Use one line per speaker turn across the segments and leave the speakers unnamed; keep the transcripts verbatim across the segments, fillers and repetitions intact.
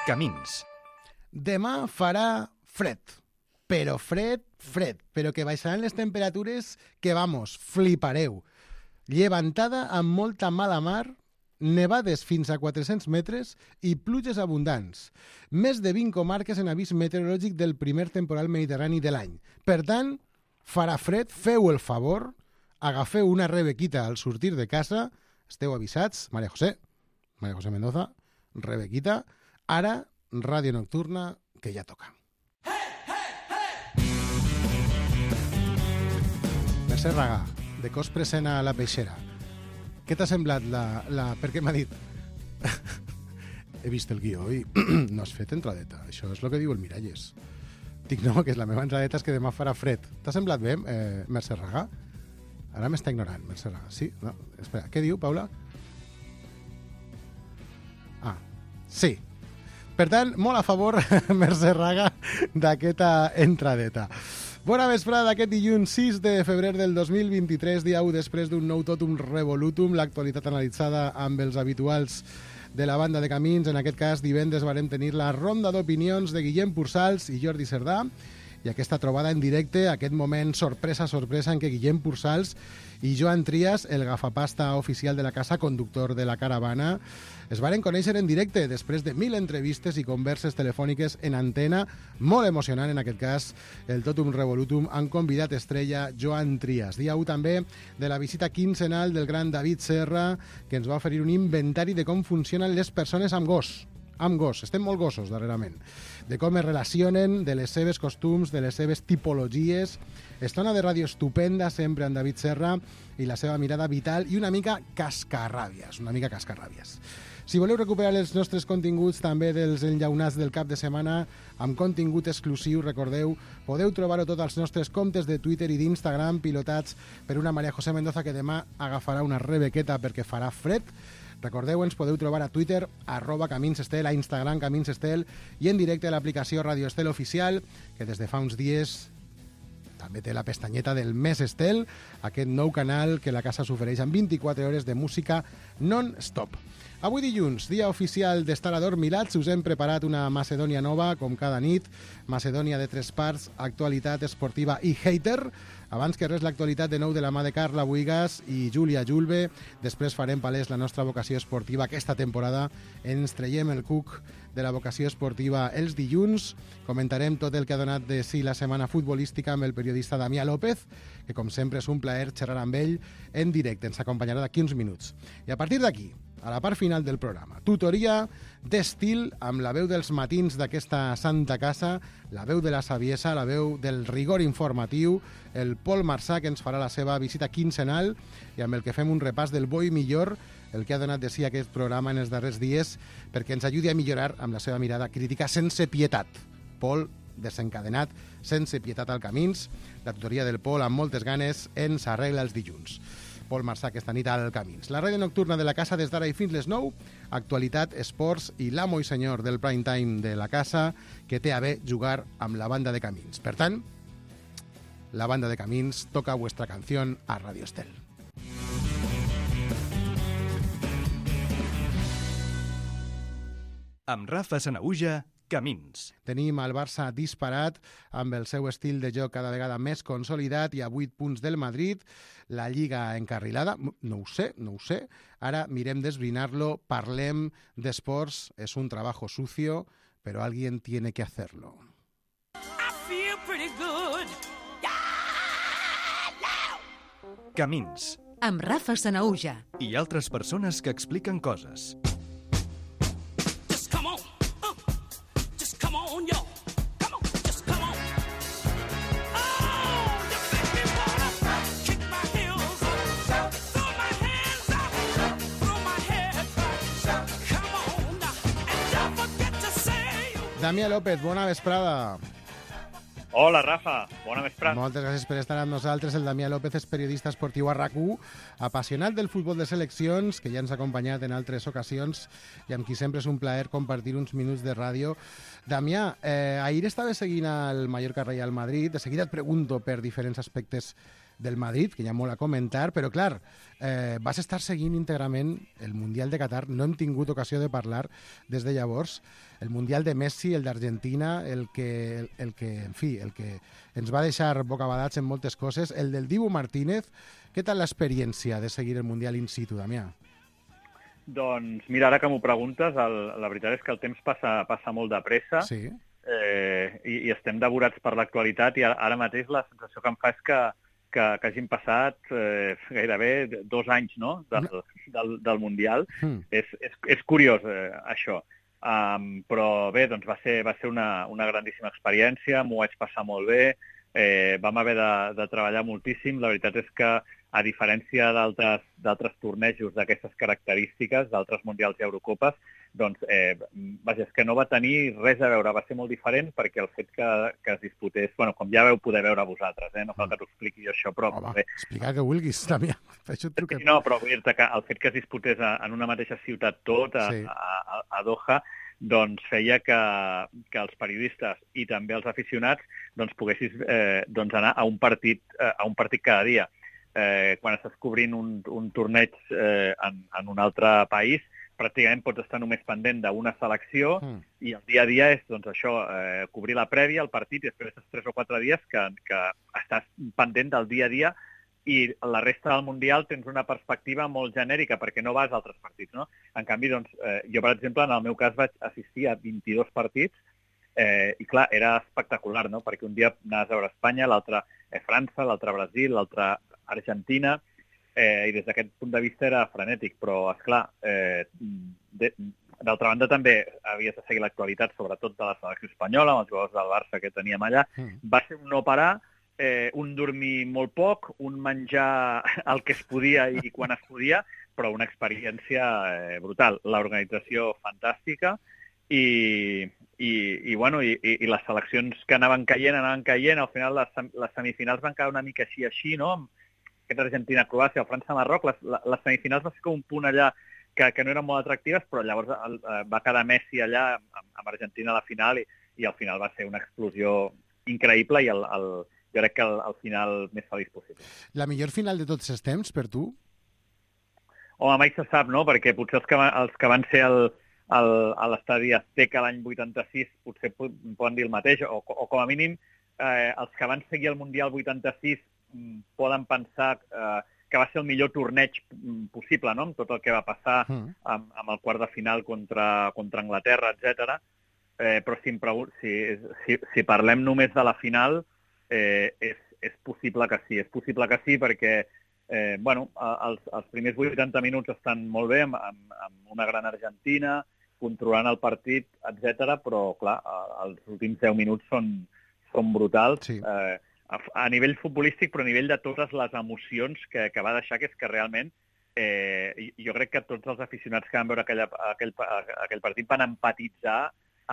Camins.
Demà farà fred, però fred, fred, però que baixaran les temperatures que, vamos, flipareu. Llevantada amb molta mala mar, nevades fins a quatre-cents metres i pluges abundants. Més de vint comarques en avís meteorològic del primer temporal mediterrani de l'any. Per tant, farà fred, feu el favor, agafeu una rebequita al sortir de casa, esteu avisats, María José, María José Mendoza, rebequita, ara, ràdio nocturna, que ja toca. Mercè Ragà, de cos present a la peixera. Què t'ha semblat la... la... Perquè m'ha dit... He vist el guió i no has fet entradeta. Això és el que diu el Miralles. Dic, no, que és la meva entradeta és que demà farà fred. T'ha semblat bé, eh, Mercè Ragà? Ara m'està ignorant, Mercè Ragà. Sí? No? Espera, què diu, Paula? Ah, sí. Per tant, molt a favor, Mercè Ragà, d'aquesta entradeta. Bona vesprada d'aquest dilluns sis de febrer del dos mil vint-i-tres, dia u després d'un nou totum revolutum, l'actualitat analitzada amb els habituals de la banda de Camins. En aquest cas, divendres varem tenir la ronda d'opinions de Guillem Pursals i Jordi Cerdà, i aquesta trobada en directe, aquest moment sorpresa, sorpresa, en què Guillem Pursals i Joan Trias, el gafapasta oficial de la casa, conductor de la caravana, es varen conèixer en directe després de mil entrevistes i converses telefòniques en antena, molt emocionant en aquest cas, el Totum Revolutum, han convidat estrella Joan Trias. Dia u també de la visita quinzenal del gran David Serra, que ens va oferir un inventari de com funcionen les persones amb gos. amb gos, estem molt gossos darrerament, de com es relacionen, de les seves costums, de les seves tipologies. Estona de ràdio estupenda sempre amb David Serra i la seva mirada vital i una mica cascarràbies, una mica cascarràbies. Si voleu recuperar els nostres continguts també dels enllaunats del cap de setmana amb contingut exclusiu, recordeu, podeu trobar-ho tot als nostres comptes de Twitter i d'Instagram pilotats per una María José Mendoza que demà agafarà una rebequeta perquè farà fred. Recordeu, ens podeu trobar a Twitter, arroba Camins Estel, a Instagram Camins Estel i en directe a l'aplicació Radio Estel Oficial, que des de fa uns dies també té la pestanyeta del Mes Estel, aquest nou canal que la casa s'ofereix amb vint-i-quatre hores de música non-stop. Avui dilluns, dia oficial d'estar adormilats, us hem preparat una Macedònia nova, com cada nit, Macedònia de tres parts, actualitat esportiva i hater. Abans que res, l'actualitat de nou de la mà de Carla Buigas i Júlia Julve. Després farem palès la nostra vocació esportiva aquesta temporada. Ens traiem el cuc de la vocació esportiva els dilluns. Comentarem tot el que ha donat de si la setmana futbolística amb el periodista Damià López, que com sempre és un plaer xerrar amb ell en directe. Ens acompanyarà d'aquí uns minuts. I a partir d'aquí, a la part final del programa, tutoria d'estil amb la veu dels matins d'aquesta santa casa, la veu de la saviesa, la veu del rigor informatiu, el Pol Marçà, que ens farà la seva visita quinzenal i amb el que fem un repàs del bo i millor, el que ha donat de si aquest programa en els darrers dies, perquè ens ajudi a millorar amb la seva mirada crítica sense pietat. Pol, desencadenat, sense pietat al Camins. La tutoria del Pol, amb moltes ganes, ens arregla els dilluns. Pol Marçà aquesta nit al Camins. La ràdio nocturna de la casa des d'ara i fins les nou, actualitat, esports i l'amo i senyor del prime time de la casa que té a bé jugar amb la banda de Camins. Per tant, la banda de Camins toca vuestra canción a Radio Estel.
Amb Rafa Sanaüja, Camins.
Tenim el Barça disparat amb el seu estil de joc cada vegada més consolidat i a vuit punts del Madrid, la Lliga encarrilada. No ho sé, no ho sé. Ara mirem d'esbrinar-lo, parlem d'esports. És un trabajo sucio, però alguien tiene que hacerlo.
I feel pretty good. Yeah, no.
Camins.
Amb Rafa Sanaüja.
I altres persones que expliquen coses.
Damià López, bona vesprada.
Hola, Rafa. Bona vesprada.
Moltes gràcies per estar amb nosaltres. El Damià López és periodista esportiu a RAC u, apassionat del futbol de seleccions, que ja ens ha acompanyat en altres ocasions i amb qui sempre és un plaer compartir uns minuts de ràdio. Damià, eh, ahir estava seguint el Mallorca Real Madrid. De seguida et pregunto per diferents aspectes del Madrid, que hi ha molt a comentar, però clar, eh, vas estar seguint íntegrament el Mundial de Qatar, no hem tingut ocasió de parlar des de llavors, el Mundial de Messi, el d'Argentina, el que, el, el que, en fi, el que ens va deixar bocabadats en moltes coses, el del Dibu Martínez. Què tal l'experiència de seguir el Mundial in situ, Damià?
Doncs mira, ara que m'ho preguntes, el, la veritat és que el temps passa, passa molt de pressa.
Sí.
Eh, i, i estem devorats per l'actualitat i ara, ara mateix la sensació que em fa és que, que, que hagin passat eh, gairebé dos anys, no?, del, del, del Mundial. Mm. És, és, és curiós, eh, això. Um, però bé, doncs va ser, va ser una, una grandíssima experiència, m'ho vaig passar molt bé, eh, vam haver de, de treballar moltíssim. La veritat és que, a diferència d'altres d'altres tornejos d'aquestes característiques, d'altres Mundials i Eurocopes, doncs, eh, vaja, és que no va tenir res a veure, va ser molt diferent perquè el fet que, que es disputés, bueno, com ja veu poder veure vosaltres, eh, no cal que t'ho expliqui jo això, però...
Home,
bé,
explica que vulguis, Damià. Això et truca...
No, però vull dir-te que el fet que es disputés a, en una mateixa ciutat tot, a,
Sí.
a, a, a Doha, doncs feia que, que els periodistes i també els aficionats doncs, poguessis eh, doncs anar a un partit, eh, a un partit cada dia. Eh, quan estàs cobrint un, un torneig eh, en, en un altre país, pràcticament pots estar només pendent d'una selecció mm. i el dia a dia és doncs, això, eh, cobrir la prèvia, el partit, i després estàs tres o quatre dies que, que estàs pendent del dia a dia i la resta del Mundial tens una perspectiva molt genèrica perquè no vas a altres partits, no? En canvi, doncs, eh, jo, per exemple, en el meu cas vaig assistir a vint-i-dos partits eh, i, clar, era espectacular, no? Perquè un dia anaves a veure Espanya, l'altre eh, França, l'altre Brasil, l'altre Argentina, eh, i des d'aquest punt de vista era frenètic, però, esclar, eh, d'altra banda també havies de seguir l'actualitat, sobretot de la selecció espanyola, amb els jugadors del Barça que teníem allà. Mm. Va ser un no parar, eh, un dormir molt poc, un menjar el que es podia i quan es podia, però una experiència eh, brutal. L'organització fantàstica i, i, i, bueno, i, i les seleccions que anaven caient, anaven caient, al final les, les semifinals van quedar una mica així, així, no?, aquest Argentina-Croàcia o França-Marroc, les, les semifinals va ser com un punt allà que, que no eren molt atractives, però llavors el, va quedar Messi allà amb, amb Argentina a la final i, i al final va ser una explosió increïble i el, el, jo crec que el, el final més feliç possible.
La millor final de tots els temps, per tu?
Home, mai se sap, no?, perquè potser els que, els que van ser el, el, a l'estadi Azteca l'any vuitanta-sis potser poden dir el mateix, o, o com a mínim eh, els que van seguir el Mundial vuitanta-sis poden pensar eh, que va ser el millor torneig possible, no?, amb tot el que va passar mm. amb, amb el quart de final contra, contra Anglaterra, etcètera. Eh, però si, em si, si, si parlem només de la final, eh, és, és possible que sí. És possible que sí perquè eh, bueno, els, els primers vuitanta minuts estan molt bé, amb, amb, amb una gran Argentina, controlant el partit, etcètera. Però, clar, els últims deu minuts són, són brutals. Sí. Eh, a nivell futbolístic, però a nivell de totes les emocions que, que va deixar, que és que realment eh, jo crec que tots els aficionats que van veure aquella, aquell, aquell partit van empatitzar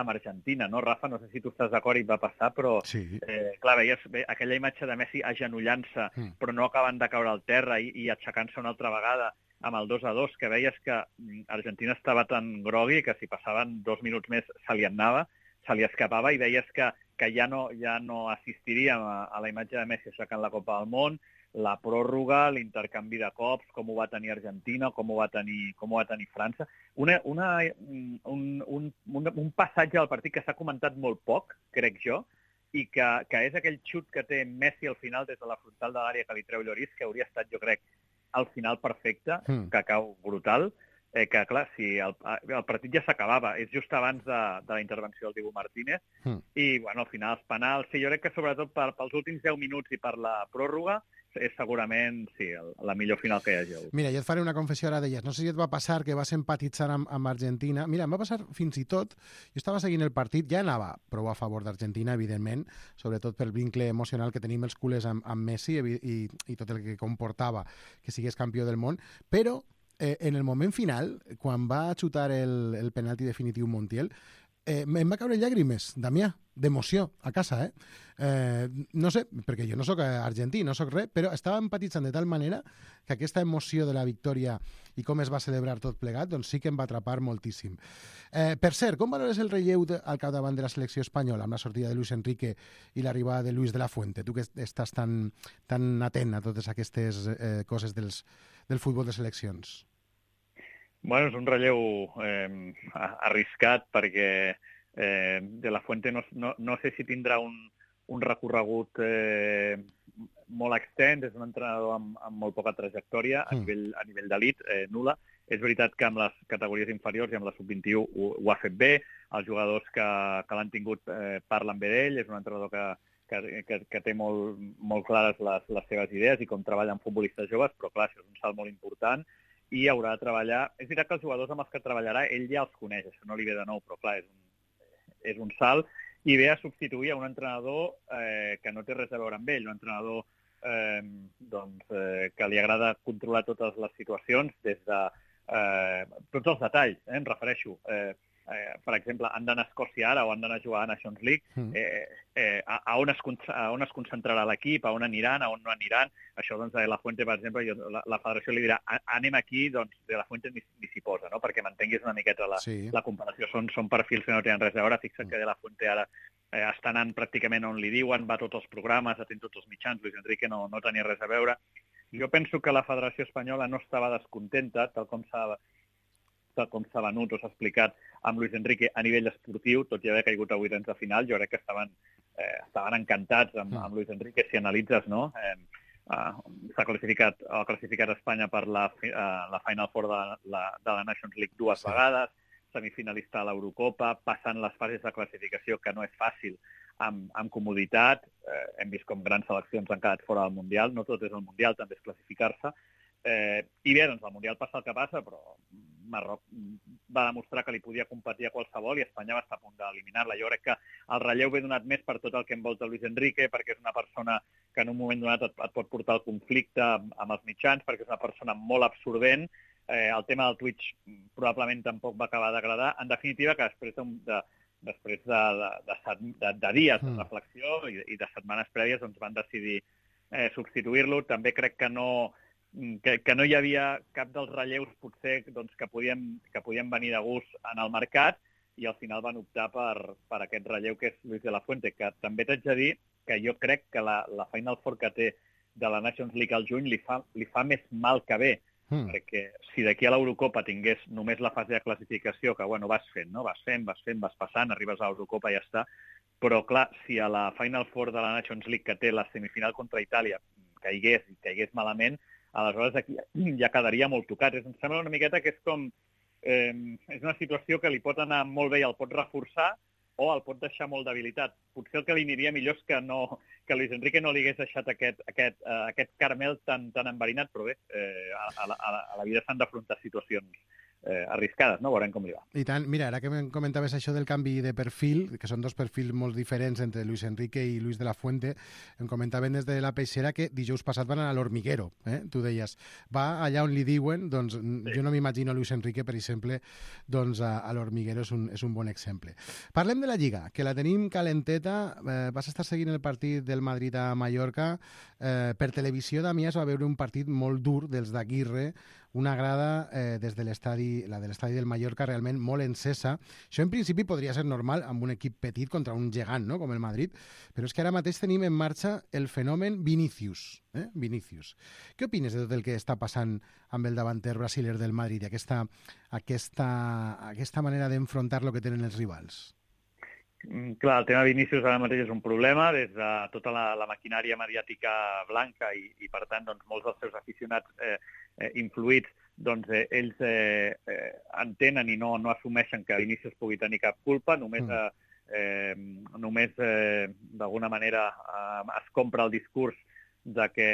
amb Argentina, no, Rafa? No sé si tu estàs d'acord i va passar, però sí. eh, clar, veies bé, aquella imatge de Messi agenollant-se, mm. però no acabant de caure al terra i, i aixecant-se una altra vegada amb el dos a dos, que veies que Argentina estava tan grogui que si passaven dos minuts més se li anava, se li escapava i veies que que ja no, ja no assistiríem a, a la imatge de Messi aixecant la Copa del Món, la pròrroga, l'intercanvi de cops, com ho va tenir Argentina, com ho va tenir, com ho va tenir França. Una, una, un, un, un, un passatge del partit que s'ha comentat molt poc, crec jo, i que, que és aquell xut que té Messi al final des de la frontal de l'àrea que li treu Lloris, que hauria estat, jo crec, al final perfecte, mm. que cau brutal. Eh, que, clar, si el, el partit ja s'acabava, és just abans de, de la intervenció del Dibu Martínez, mm. i, bueno, al final els penals, sí, jo crec que sobretot per, pels últims deu minuts i per la pròrroga, és segurament, sí, el, la millor final que hi hagi hagut.
Mira, jo et faré una confessió ara d'elles. No sé si et va passar que vas empatitzar amb, amb Argentina. Mira, em va passar fins i tot, jo estava seguint el partit, ja anava prou a favor d'Argentina, evidentment, sobretot pel vincle emocional que tenim els culers amb, amb Messi i, i, i tot el que comportava que sigués campió del món, però Eh, en el moment final, quan va xutar el, el penalti definitiu Montiel, eh, em va caure llàgrimes, Damià, d'emoció, a casa, eh? eh? No sé, perquè jo no sóc argentí, no sóc res, però estava empatitzant de tal manera que aquesta emoció de la victòria i com es va celebrar tot plegat, doncs sí que em va atrapar moltíssim. Eh, per cert, com valores el relleu de, al capdavant de la selecció espanyola amb la sortida de Luis Enrique i l'arribada de Luis de la Fuente? Tu que estàs tan, tan atent a totes aquestes eh, coses dels, del futbol de seleccions.
Bueno, és un relleu eh, arriscat perquè eh, de la Fuente no, no, no sé si tindrà un, un recorregut eh, molt extens, és un entrenador amb, amb molt poca trajectòria a
Mm.
nivell, a nivell d'elit, eh, nul·la. És veritat que amb les categories inferiors i amb la sub vint-i-u ho, ho ha fet bé, els jugadors que, que l'han tingut eh, parlen bé d'ell, és un entrenador que, que, que, que té molt, molt clares les, les seves idees i com treballa amb futbolistes joves, però clar, això és un salt molt important i haurà de treballar... És veritat que els jugadors amb els que treballarà ell ja els coneix, això no li ve de nou, però clar, és un, és un salt, i ve a substituir a un entrenador eh, que no té res a veure amb ell, un entrenador eh, doncs, eh, que li agrada controlar totes les situacions des de eh, tots els detalls, eh, em refereixo. Eh, eh, per exemple, han d'anar a Escòcia ara o han d'anar a jugar a Nations League, eh, eh, a, a, on es, a on es concentrarà l'equip, a on aniran, a on no aniran. Això, doncs, de la Fuente, per exemple, jo, la, la federació li dirà anem aquí, doncs, de la Fuente ni, ni s'hi posa, no? Perquè m'entenguis una miqueta la,
Sí.
la comparació. Són, són perfils que no tenen res a veure. Fixa't que de la Fuente ara eh, està anant pràcticament on li diuen, va a tots els programes, atén tots els mitjans. Luis Enrique no, no tenia res a veure. Jo penso que la Federació Espanyola no estava descontenta, tal com s'ha tal com s'ha venut o s'ha explicat amb Luis Enrique a nivell esportiu, tot i haver caigut a vuitens de final. Jo crec que estaven, eh, estaven encantats amb, amb Luis Enrique. Si analitzes, no? Eh, uh, s'ha classificat, ha classificat Espanya per la, uh, la Final Four de la, de la Nations League dues
Sí.
vegades, semifinalista a l'Eurocopa, passant les fases de classificació, que no és fàcil, amb, amb comoditat. Eh, hem vist com grans seleccions han quedat fora del Mundial. No tot és el Mundial, també és classificar-se. Eh, I bé, doncs el Mundial passa el que passa, però Marroc va demostrar que li podia competir a qualsevol i Espanya va estar a punt d'eliminar-la. Jo crec que el relleu ve donat més per tot el que envolta Luis Enrique, perquè és una persona que en un moment donat et, et pot portar al conflicte amb, amb els mitjans, perquè és una persona molt absorbent. Eh, el tema del Twitch probablement tampoc va acabar d'agradar. En definitiva, que després de, de, després de, de, de, de, de dies de reflexió i, i de setmanes prèvies doncs van decidir eh, substituir-lo. També crec que no... Que, que no hi havia cap dels relleus potser doncs, que, podien, que podien venir de gust en el mercat i al final van optar per, per aquest relleu que és Luis de la Fuente, que també t'haig de dir que jo crec que la, la Final Four que té de la Nations League al juny li fa, li fa més mal que bé, mm. perquè si d'aquí a l'Eurocopa tingués només la fase de classificació, que bueno, vas fent, no? vas fent, vas fent, vas passant, arribes a l'Eurocopa i ja està, però clar, si a la Final Four de la Nations League que té la semifinal contra Itàlia caigués i caigués malament, aleshores aquí ja quedaria molt tocat. Em sembla una miqueta que és com... Eh, és una situació que li pot anar molt bé i el pot reforçar o el pot deixar molt debilitat. Potser el que li aniria millor és que, no, que Luis Enrique no li hagués deixat aquest, aquest, uh, aquest caramel tan, tan enverinat, però bé, eh, a, a, la, a la vida s'han d'afrontar situacions eh, arriscades, no? Veurem com li va.
I tant, mira, ara que em comentaves això del canvi de perfil, que són dos perfils molt diferents entre Luis Enrique i Luis de la Fuente, em comentaven des de la Peixera que dijous passat van anar a l'Hormiguero, eh? Tu deies, va allà on li diuen, doncs sí. Jo no m'imagino Luis Enrique, per exemple, doncs a, a l'Hormiguero és un, és un bon exemple. Parlem de la Lliga, que la tenim calenteta, eh, vas estar seguint el partit del Madrid a Mallorca, eh, per televisió, Damià, es va veure un partit molt dur dels d'Aguirre, una grada eh, des de l'estadi, la de l'estadi del Mallorca, realment molt encesa. Això en principi podria ser normal amb un equip petit contra un gegant, no?, com el Madrid, però és que ara mateix tenim en marxa el fenomen Vinícius. Eh? Vinícius. Què opines de tot el que està passant amb el davanter brasiler del Madrid i aquesta, aquesta, aquesta manera d'enfrontar lo que tenen els rivals?
Clar, el tema Vinícius ara mateix és un problema des de tota la, la maquinària mediàtica blanca i, i per tant, doncs, molts dels seus aficionats eh, eh, influïts, doncs, eh, ells eh, eh, entenen i no, no assumeixen que Vinícius pugui tenir cap culpa, només, eh, eh, només eh, d'alguna manera eh, es compra el discurs de que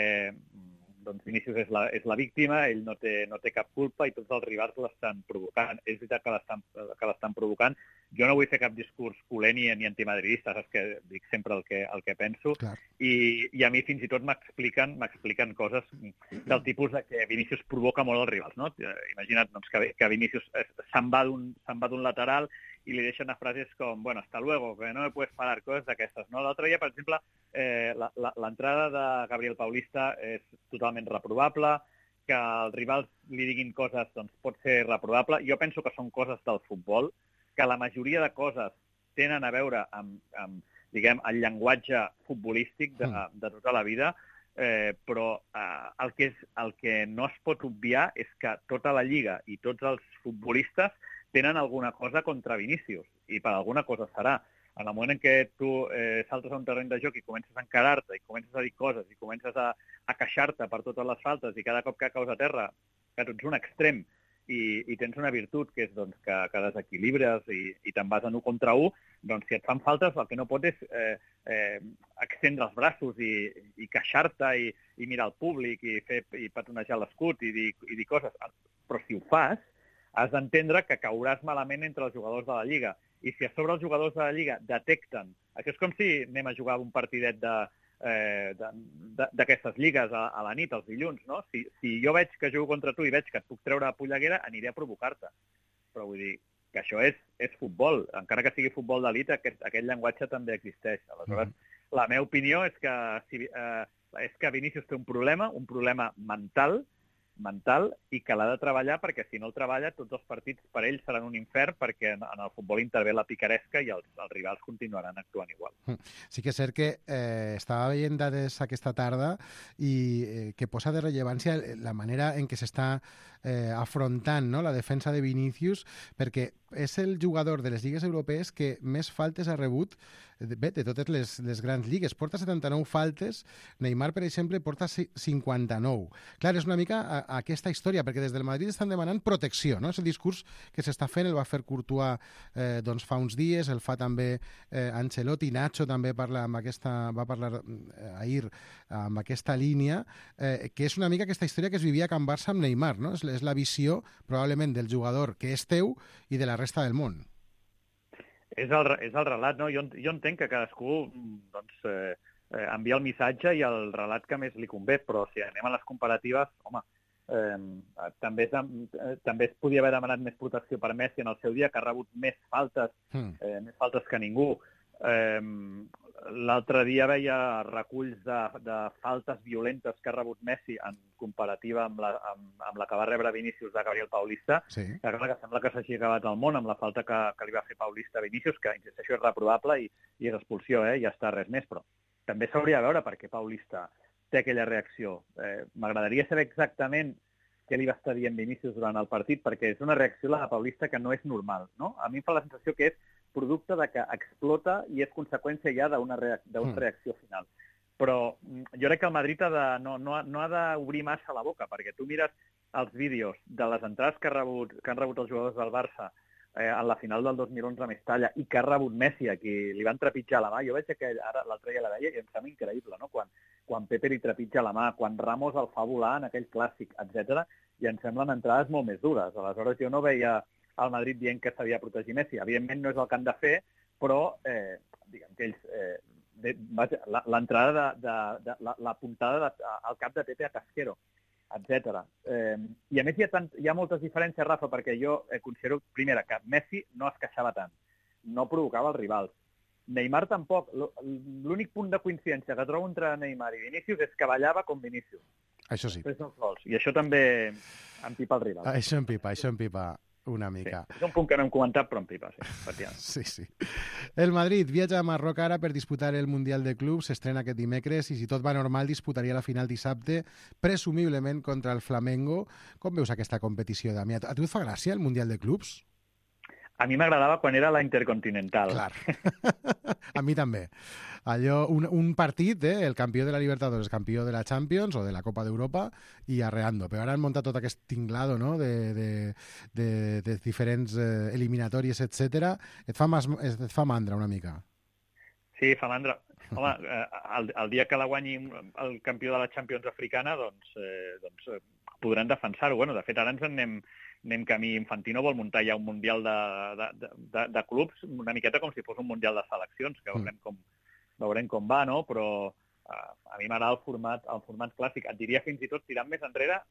doncs, Vinícius és la, és la víctima, ell no té, no té cap culpa i tots els rivals l'estan provocant. És veritat que l'estan que l'estan provocant. Jo no vull fer cap discurs culer ni, ni antimadridista, saps que dic sempre el que, el que penso, i, i a mi fins i tot m'expliquen m'expliquen coses del tipus de que Vinícius provoca molt els rivals, no? Imagina't doncs, que, que Vinícius se'n va d'un lateral i li deixen frases com, bueno, hasta luego, que no me puedes parar, coses d'aquestes, no? L'altre dia, per exemple, eh, l'entrada de Gabriel Paulista és totalment reprovable, que els rivals li diguin coses doncs, pot ser reprovable. Jo penso que són coses del futbol, que la majoria de coses tenen a veure amb, amb diguem, el llenguatge futbolístic de, de tota la vida, eh, però eh, el, que és, el que no es pot obviar és que tota la Lliga i tots els futbolistes tenen alguna cosa contra Vinícius, i per alguna cosa serà. En el moment en què tu eh, saltes a un terreny de joc i comences a encarar-te, i comences a dir coses, i comences a, a queixar-te per totes les faltes, i cada cop que caus a terra, que tu ets un extrem, i, i tens una virtut, que és doncs, que, que desequilibres i, i te'n vas en un contra un, doncs si et fan faltes el que no pot és eh, eh, extendre els braços i, i queixar-te i, i mirar al públic i, fer, i petonejar l'escut i dir, i dir coses. Però si ho fas, has d'entendre que cauràs malament entre els jugadors de la Lliga. I si a sobre els jugadors de la Lliga detecten... Això és com si anem a jugar un partidet d'aquestes eh, lligues a, a la nit, els dilluns, no? Si, si jo veig que jugo contra tu i veig que et puc treure a polleguera, aniré a provocar-te. Però vull dir que això és, és futbol. Encara que sigui futbol d'elit, aquest, aquest llenguatge també existeix. Aleshores, mm. la meva opinió és que, si, eh, és que Vinícius té un problema, un problema mental, mental i que l'ha de treballar perquè si no el treballa tots els partits per ell seran un infern perquè en, en el futbol intervé la picaresca i els, els rivals continuaran actuant igual.
Sí que és cert que eh, estava veient dades aquesta tarda i eh, que posa de rellevància la manera en què s'està eh, afrontant, no?, la defensa de Vinícius, perquè és el jugador de les lligues europees que més faltes ha rebut bé, de totes les, les grans lligues. Porta setanta-nou faltes, Neymar, per exemple, porta cinquanta-nou. Clar, és una mica a, a aquesta història, perquè des del Madrid estan demanant protecció, no? És el discurs que s'està fent, el va fer Courtois eh, doncs fa uns dies, el fa també eh, Ancelotti, Nacho també parla amb aquesta, va parlar eh, ahir amb aquesta línia, eh, que és una mica aquesta història que es vivia a Can Barça amb Neymar, no? És, és la visió, probablement, del jugador que és teu i de la resta del món.
És el, és el relat, no? Jo, jo entenc que cadascú doncs, eh, eh, envia el missatge i el relat que més li convé, però si anem a les comparatives, home, eh, també, es, eh, també es podia haver demanat més protecció per Messi en el seu dia, que ha rebut més faltes, mm. eh, més faltes que ningú. Eh, L'altre dia veia reculls de, de faltes violentes que ha rebut Messi en comparativa amb la, amb, amb la que va rebre Vinícius de Gabriel Paulista, sí. que, clar, que sembla que s'hagi acabat el món amb la falta que, que li va fer Paulista a Vinícius, que, insisteixo, és reprovable i, i és expulsió, eh? Ja està, res més, però també s'hauria de veure per què Paulista té aquella reacció. Eh, M'agradaria saber exactament què li va estar dient Vinícius durant el partit, perquè és una reacció, la de Paulista, que no és normal, no? A mi em fa la sensació que és producte de que explota i és conseqüència ja d'una reac mm. reacció final. Però jo crec que el Madrid ha de, no, no, no ha d'obrir massa la boca, perquè tu mires els vídeos de les entrades que, ha rebut, que han rebut els jugadors del Barça eh, en la final del dos mil onze a Mestalla i que ha rebut Messi, a qui li van trepitjar la mà. Jo veig que ara l'altre dia la veia i em sembla increïble, no? Quan, quan Pepe li trepitja la mà, quan Ramos el fa volar en aquell clàssic, etcètera, i em semblen entrades molt més dures. Aleshores jo no veia al Madrid dient que s'havia de protegir Messi. Evidentment no és el que han de fer, però eh, diguem que ells... Eh, l'entrada de, de, de la, la puntada de, al cap de Pepe a Casquero, etcètera. Eh, I a més hi ha, tant, hi ha moltes diferències, Rafa, perquè jo eh, considero, primera, que Messi no es queixava tant, no provocava els rivals. Neymar tampoc. L'únic punt de coincidència que trobo entre Neymar i Vinícius és que ballava com Vinícius.
Això sí.
I això també empipa el rival.
Això empipa, això empipa. Una mica.
Sí, és un punt que no hem comentat, però en pipa, sí.
sí, sí. El Madrid viatja a Marroc ara per disputar el Mundial de Clubs, s'estrena aquest dimecres i si tot va normal disputaria la final dissabte, presumiblement contra el Flamengo. Com veus aquesta competició, Damià? A tu et fa gràcia el Mundial de Clubs?
A mi m'agradava quan era la Intercontinental.
Clar. A mi també. Allò, un, un partit, eh, el campió de la Libertadores, campió de la Champions o de la Copa d'Europa i arreando. Però ara han muntat tot aquest tinglado, no?, de, de, de, de diferents eh, eliminatòries, etcètera. Et fa, mas, et fa mandra una mica.
Sí, fa mandra. Home, eh, el, el dia que la guanyi el campió de la Champions africana, doncs, eh, doncs eh, podran defensar-ho. Bueno, de fet, ara ens en anem, anem camí. Infantino vol muntar ja un mundial de, de, de, de clubs, una miqueta com si fos un mundial de seleccions, que veurem com, veurem com va, no? Però uh, a mi m'agrada el format, el format clàssic. Et diria fins i tot, tirant més enrere,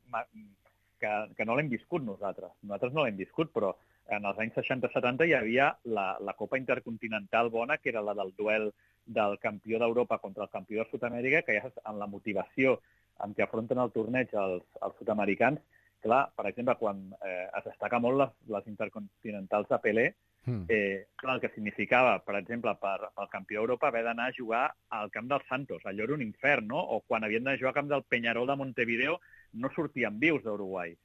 que, que no l'hem viscut nosaltres. Nosaltres no l'hem viscut, però en els anys seixanta setanta hi havia la, la Copa Intercontinental bona, que era la del duel del campió d'Europa contra el campió de Sud-amèrica, que ja amb la motivació amb què afronten el torneig els, els sud-americans. Clar, per exemple, quan eh, es destaca molt les, les intercontinentals de Pelé, mm. eh, clar, el que significava, per exemple, per, pel campió d'Europa haver d'anar a jugar al camp dels Santos. Allò era un infern, no? O quan havien de jugar al camp del Peñarol de Montevideo no sortien vius d'Uruguai.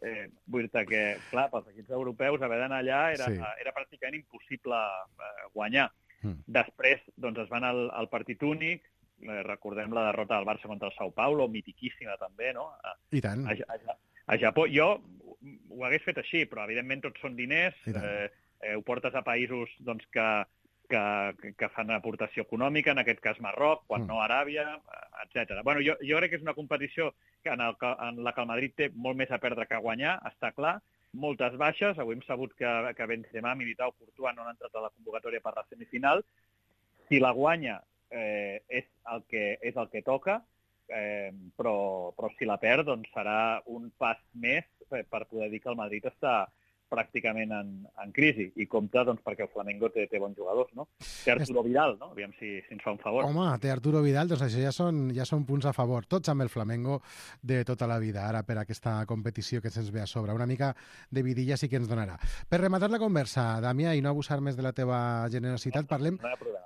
Eh, vull dir que, clar, pels equips europeus haver d'anar allà era, sí. era pràcticament impossible eh, guanyar. Mm. Després doncs, es van al, al partit únic, eh, recordem la derrota del Barça contra el Sao Paulo, mitiquíssima també, no? A,
I tant.
A, a, a Japó. Jo ho hagués fet així, però evidentment tots són diners, eh, eh, ho portes a països doncs, que, que, que fan aportació econòmica, en aquest cas Marroc, quan mm. no Aràbia, etcètera. Bueno, jo, jo crec que és una competició que en, el, en la que el Madrid té molt més a perdre que a guanyar, està clar, moltes baixes, avui hem sabut que, que Benzema, Militao, Courtois no han entrat a la convocatòria per la semifinal. Si la guanya eh, és, el que, és el que toca, eh, però, però si la perd doncs serà un pas més per poder dir que el Madrid està pràcticament en, en crisi. I compta doncs, perquè el Flamengo té, té bons jugadors, no? Té Arturo Vidal, no? Aviam si, si ens fa un favor.
Home, té Arturo Vidal, doncs això ja són, ja són punts a favor. Tots amb el Flamengo de tota la vida, ara per aquesta competició que se'ns ve a sobre. Una mica de vidilla sí que ens donarà. Per rematar la conversa, Damià, i no abusar més de la teva generositat, parlem,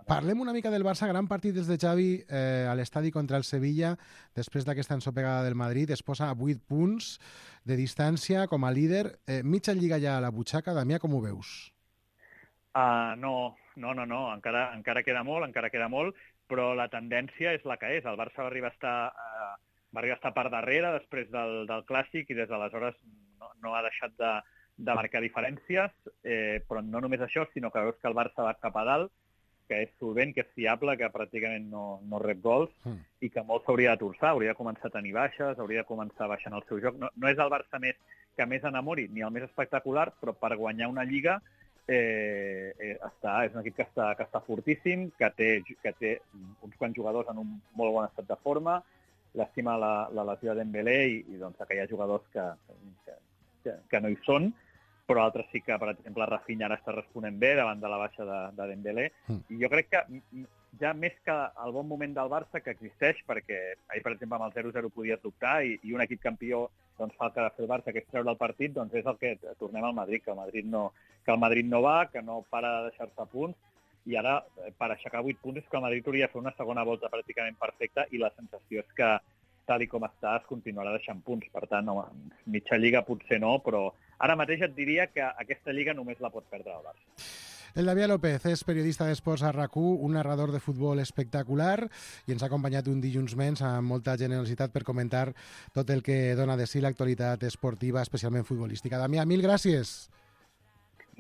parlem una mica del Barça. Gran partit des de Xavi eh, a l'estadi contra el Sevilla, després d'aquesta ensopegada del Madrid. Es posa a vuit punts de distància com a líder. Eh, mitja lliga ja a la butxaca. Damià, com ho veus?
Uh, no, no, no, no. Encara, encara queda molt, encara queda molt, però la tendència és la que és. El Barça va arribar a estar, uh, va arribar a estar per darrere després del, del Clàssic i des d'aleshores no, no ha deixat de, de marcar diferències, eh, però no només això, sinó que veus que el Barça va cap a dalt, que és solvent, que és fiable, que pràcticament no, no rep gols mm. i que molt s'hauria de torçar, hauria de començar a tenir baixes, hauria de començar baixant el seu joc. No, no és el Barça més que més enamori, ni el més espectacular, però per guanyar una lliga eh, eh, està, és un equip que està, que està fortíssim, que té, que té uns quants jugadors en un molt bon estat de forma, l'estima la, la lesió de Dembélé i, i doncs, que hi ha jugadors que, que, que, que no hi són, però altres sí que, per exemple, Rafinha ara està responent bé davant de la baixa de, de Dembélé. Mm. I jo crec que ja més que el bon moment del Barça, que existeix, perquè ahir, per exemple, amb el zero zero podies dubtar i, i un equip campió doncs, fa el que ha de fer el Barça, que és treure el partit, doncs és el que tornem al Madrid, que el Madrid no, que el Madrid no va, que no para de deixar-se punts, i ara, per aixecar vuit punts, és que el Madrid hauria de fer una segona volta pràcticament perfecta i la sensació és que, tal i com està, es continuarà deixant punts. Per tant, home, mitja lliga potser no, però ara mateix et diria que aquesta lliga només la pot perdre el Barça.
El Damià López és periodista d'esports a RAC u, un narrador de futbol espectacular i ens ha acompanyat un dilluns menys amb molta generositat per comentar tot el que dona de si l'actualitat esportiva, especialment futbolística. Damià, mil gràcies.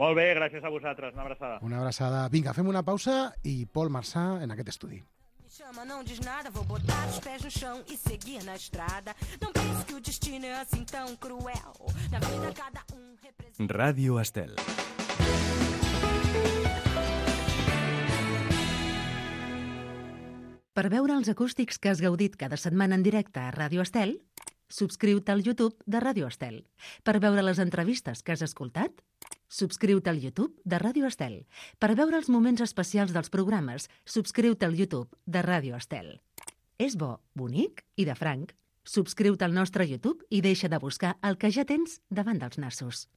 Molt bé, gràcies a vosaltres. Una abraçada.
Una abraçada. Vinga, fem una pausa i Pol Marçà en aquest estudi.
Chama, não diz nada, vou botar os pés no chão e seguir na estrada. Não pense que o destino é assim tão cruel. Na vida cada um representa...
Ràdio Estel.
Per veure els acústics que has gaudit cada setmana en directe a Ràdio Estel, subscriu-te al YouTube de Ràdio Estel. Per veure les entrevistes que has escoltat, subscriu-te al YouTube de Ràdio Estel. Per veure els moments especials dels programes, subscriu-te al YouTube de Ràdio Estel. És bo, bonic i de franc. Subscriu-te al nostre YouTube i deixa de buscar el que ja tens davant dels nassos.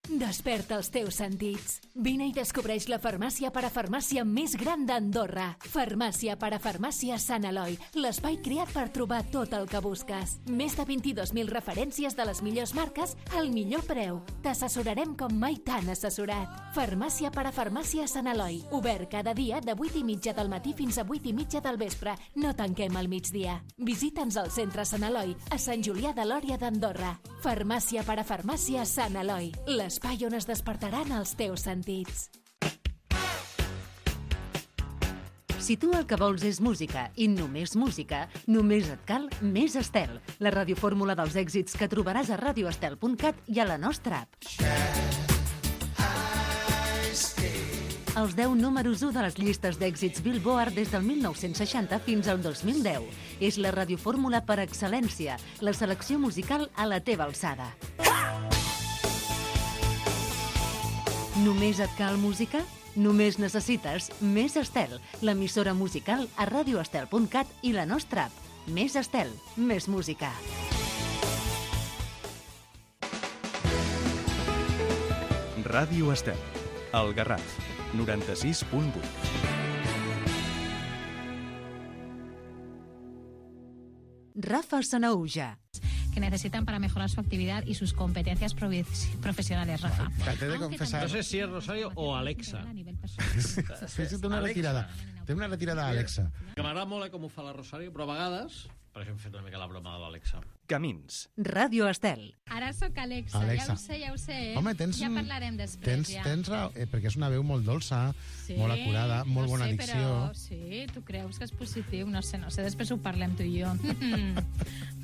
Desperta els teus sentits. Vine i descobreix la farmàcia parafarmàcia més gran d'Andorra. Farmàcia parafarmàcia Sant Eloi, l'espai creat per trobar tot el que busques. Més de vint-i-dos mil referències de les millors marques al millor preu. T'assessorarem com mai t'han assessorat. Farmàcia parafarmàcia Sant Eloi, obert cada dia de vuit i mitja del matí fins a vuit i mitja del vespre. No tanquem al migdia. Visita'ns al centre Sant Eloi, a Sant Julià de Lòria d'Andorra. Farmàcia parafarmàcia Sant Eloi, l'espai on es despertaran els teus sentits.
Si tu el que vols és música i només música, només et cal Més Estel, la radiofórmula dels èxits que trobaràs a radio estel punt cat i a la nostra app. Els deu números u de les llistes d'èxits Billboard des del mil nou-cents seixanta fins al dos mil deu. És la radiofórmula per excel·lència, la selecció musical a la teva alçada. Només et cal música? Només necessites Més Estel, l'emissora musical a radio estel punt cat i la nostra app. Més Estel, més música.
Ràdio Estel, el Garraf, noranta-sis punt vuit.
Rafa Sanahuja.
Que necesitan para mejorar su actividad y sus competencias profesionales, Rafa.
Te he de confesar.
No sé si es Rosario o Alexa.
Sí, sí, té una retirada. Té una retirada a Alexa.
Que m'agrada molt eh, com ho fa la Rosario, però a vegades, per això hem fet una mica la broma de l'Alexa.
Camins.
Ràdio Estel.
Ara sóc Alexa,
Alexa.
ja ho sé, ja ho sé. Eh?
Home, tens...
Ja parlarem després,
tens,
ja.
Tens raó, eh, perquè és una veu molt dolça,
Sí,
molt acurada, molt
no
bona
sé,
dicció.
Però, sí, tu creus que és positiu? No sé, no sé, després ho parlem tu i jo.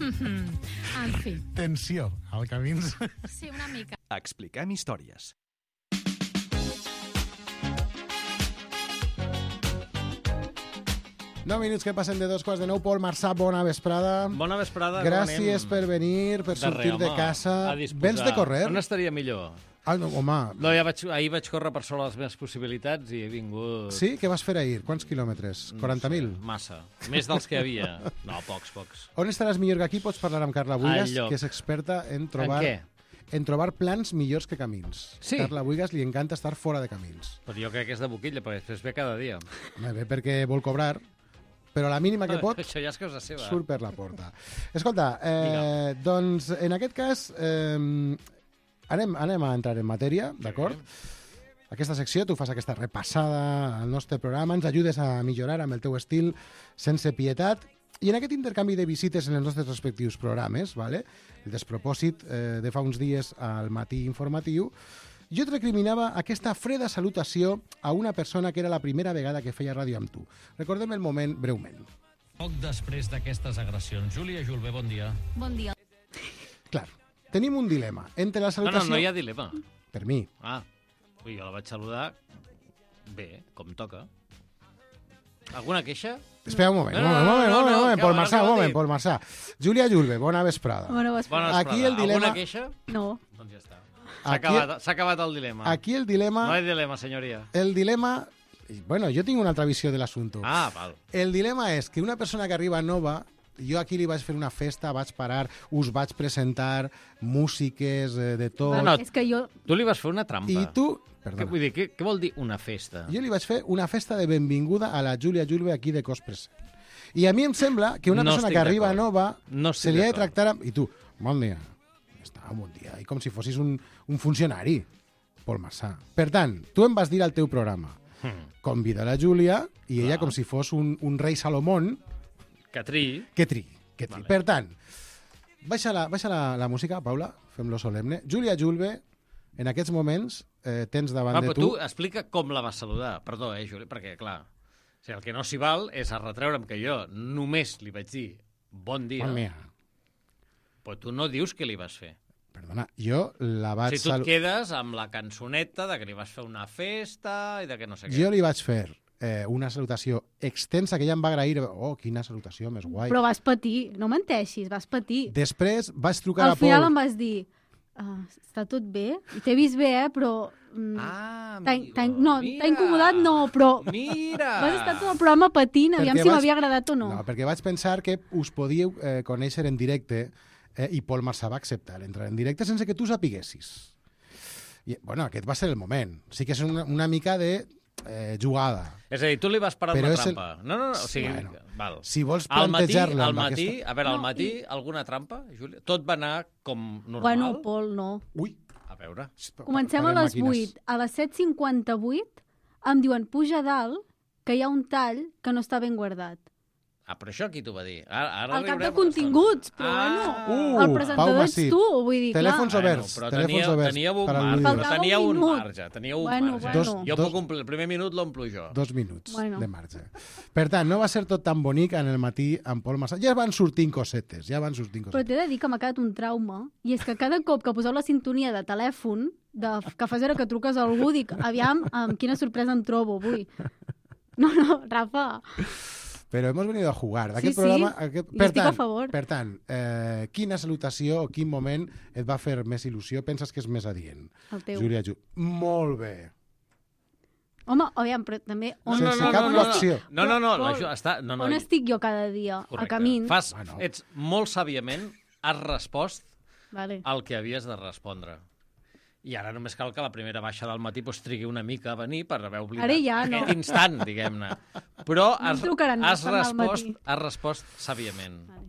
En fi.
Tensió, al Camins.
Sí, una mica.
Expliquem històries.
Nou minuts que passen de dos quarts de nou. Pol Marçà, bona vesprada.
Bona vesprada.
Gràcies per venir, per sortir de casa. Vens de correr?
On estaria millor?
Ah, no, home.
No, ja vaig, ahir vaig córrer per sobre les meves possibilitats i he vingut...
Sí? Què vas fer ahir? Quants quilòmetres? quaranta mil?
No sé, massa. Més dels que havia. No, pocs, pocs.
On estaràs millor que aquí? Pots parlar amb Carla Buigas,
Al lloc.
que és experta en trobar...
En què?
En trobar plans millors que camins.
Sí.
Carla Buigas li encanta estar fora de camins.
Però jo crec que és de boquilla, perquè després ve cada dia.
Home, bé, perquè vol cobrar, però la mínima que pot
Això ja és cosa seva.
surt per la porta. Escolta, eh, doncs en aquest cas eh, anem, anem a entrar en matèria, d'acord? Aquesta secció, tu fas aquesta repassada al nostre programa, ens ajudes a millorar amb el teu estil sense pietat, i en aquest intercanvi de visites en els nostres respectius programes, vale? El despropòsit eh, de fa uns dies al matí informatiu, jo et recriminava aquesta freda salutació a una persona que era la primera vegada que feia ràdio amb tu. Recordem el moment breument.
Poc després d'aquestes agressions. Júlia Julve, bon dia.
Bon dia.
Clar, tenim un dilema entre la
No, no,
salutació...
no hi ha dilema.
Per mi.
Ah, ui, jo la vaig saludar bé, com toca. Alguna queixa?
Espera un moment,
No,
un
no,
moment, un moment,
no,
un
no,
moment,
que
Pol
ara
Marçà,
què
un
vol
moment,
dir?
Pol Marçà. Júlia Julve, bona vesprada.
Bona vesprada.
Bona
Aquí
vesprada.
el dilema-
Alguna queixa?
No.
Doncs ja està. S'ha
Aquí-
acabat, s'ha acabat el dilema.
Aquí el dilema...
No hi ha dilema, senyoria.
El dilema... Bueno, jo tinc una altra visió de l'assumpte.
Ah, val.
El dilema és que una persona que arriba nova, jo aquí li vaig fer una festa, vaig parar, us vaig presentar músiques eh, de tot...
No, no.
És que jo...
Tu li vas fer una trampa.
I tu...
Què,
Perdona.
vull dir, què, què vol dir una festa?
Jo li vaig fer una festa de benvinguda a la Júlia Julve aquí de cos present. I a mi em sembla que una
No
persona
estic
que arriba
d'acord.
nova
No
se
estic
li ha de
d'acord.
tractar amb... I tu, bon dia. Està, bon dia. I com si fossis un, un funcionari, Pol Marçà. Per tant, tu em vas dir al teu programa,
Hmm.
convida la Júlia i ella
Clar.
com si fos un, un rei Salomón
Que triï.
que tri. Que tri.
Vale.
Per tant, baixa, la, baixa la, la música, Paula, fem-lo solemne. Júlia Julve, en aquests moments eh, tens davant
Va,
de
però
tu...
tu explica com la vas saludar. Perdó, eh, Juli, perquè, clar, o sigui, el que no s'hi val és a retreure'm que jo només li vaig dir bon dia,
Bon dia.
però tu no dius què li vas fer.
Perdona, jo la
O
vaig...
sigui, tu et
salu-
quedes amb la cançoneta de que li vas fer una festa i de que no sé què.
Jo li vaig fer eh, una salutació extensa que ella em va agrair. Oh, quina salutació més guai.
Però vas patir, no menteixis, vas patir.
Després vaig trucar
Al
a Pol.
final em vas dir, ah, està tot bé? I t'he vist bé, eh, però... Mm,
Ah,
t'ha-
amigo,
t'ha- no,
mira.
t'ha incomodat, no, però...
Mira!
Vas estar tot el programa patint, aviam
Perquè
si
vaig-
m'havia agradat o no.
No, perquè vaig pensar que us podíeu eh, conèixer en directe eh, i Pol Marçà va acceptar entrar en directe sense que tu sapiguessis. I, bueno, aquest va ser el moment. Sí que és una, una mica de eh, jugada.
És a dir, tu li vas parar
Però
una
és el-
trampa. No, no, no, o sigui,
Bueno,
val.
Si vols
Al matí,
plantejar-la
al
amb
matí,
aquesta...
a veure, al
No,
matí,
i-
alguna trampa, Júlia? Tot va anar com normal?
Bueno, Pol, no.
Ui,
A veure.
Comencem a
parem
les
màquines.
vuit. A les set cinquanta-vuit em diuen, puja a dalt, que hi ha un tall que no està ben guardat.
Ah, però això qui t'ho va dir? Ara, ara
El cap de
riurem.
continguts, però
Ah.
bueno,
Uh,
el presentador
Pau
ets
Masip.
tu, vull dir,
Telèfons
clar.
oberts.
Bueno, però
telèfons
teníeu,
oberts
teníeu un
per al
marge.
Lluís.
Faltava
Teníeu
un
un
minut.
marge. Teníeu un
Bueno,
marge.
bueno.
Dos-
jo
dos-
puc omplir, el primer minut l'omplo jo.
Dos minuts
Bueno.
de marge. Per tant, no va ser tot tan bonic en el matí amb Pol Marsal. Ja van sortint cosetes, ja van sortint
Però
cosetes.
t'he de dir que m'ha quedat un trauma, i és que cada cop que poseu la sintonia de telèfon, de que fas veure que truques a algú, dic, aviam, amb quina sorpresa em trobo avui. No, no, Rafa.
Però hemos venido a jugar.
Sí,
Aquest
sí,
programa, aquest...
hi estic a favor.
Per tant, eh, quina salutació o quin moment et va fer més il·lusió? Penses que és més adient?
El teu.
Júlia Ju. Molt bé.
Home, aviam, però també... On,
Sense
no,
cap
no, no,
coacció.
No, no, no,
Pol,
la, Ju- està, no, no,
on estic jo cada dia?
correcte.
A camins.
Fas,
Bueno.
ets molt sàviament, has respost
Vale.
el que havies de respondre. I ara només cal que la primera baixa del matí pues, trigui una mica a venir per haver oblidat
Ara ja no.
aquest instant, diguem-ne. Però
No em
has,
trucaran més
has,
per anar al
respost,
matí.
has respost sàviament.
Vale.